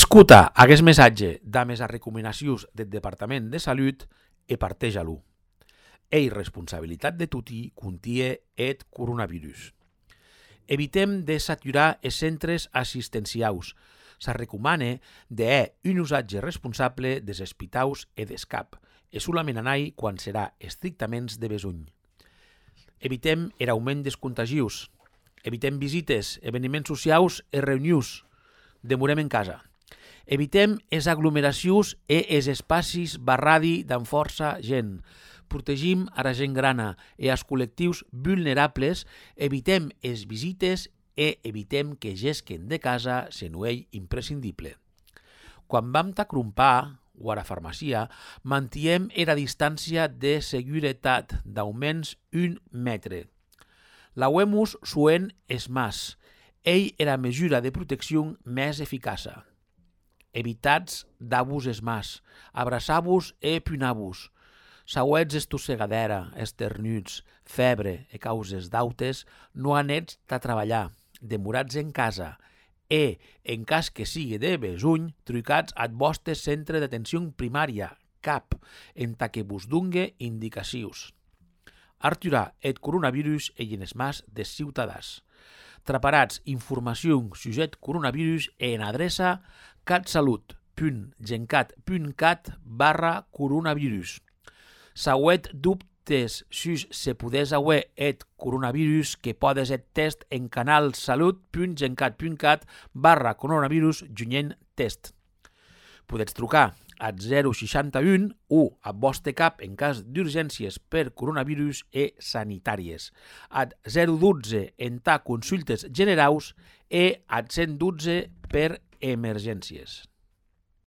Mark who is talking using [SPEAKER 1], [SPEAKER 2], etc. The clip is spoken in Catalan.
[SPEAKER 1] Escuta aquest missatge damb les recomanacions del Departament de Salut e parteja-lo. Ei responsabilitat de tutti contie et coronavirus. Evitem de saturar els centres assistencials. Se recomana d'un usatge responsable dels hospitals e dels CAP, e solament anar quan serà estrictament de besonh. Evitem l'augment dels contagios. Evitem visites, esdeveniments socials e reunions. Demorem en casa. Evitem les aglomeracions e els espais barradi amb força gent. Protegim a la gent grana e als col·lectius vulnerables. Evitem les visites e evitem que gesquen de casa se no és imprescindible. Quan vam t'acrompar o a la farmàcia, mantiem la distància de seguretat d'almenys 1 metre. Lauemos suen es mas. Ell era la mesura de protecció més eficaç. Evitats d'abús es mas. Abraçar-vos e punir-vos. Sauets estossegadera, esternuts, febre e causes d'autes, no anets a treballar, demorats en casa e, en cas que sigui de besonh, trucats al vostre centre d'atenció primària, CAP, en que vos dongue indicacions. Aturar el coronavirus i en els mas dels ciutadans. Traparats informació sujet coronavirus en adreça catsalut.gencat.cat/coronavirus. Sauet dubtes sus se podés haver et coronavirus que podes et test en canal salut.gencat.cat/coronavirus junyent test. Podets trucar al 061 o a vostre CAP en cas d'urgències per coronavirus e sanitàries, al 012 en consultes generals e al 112 per emergències.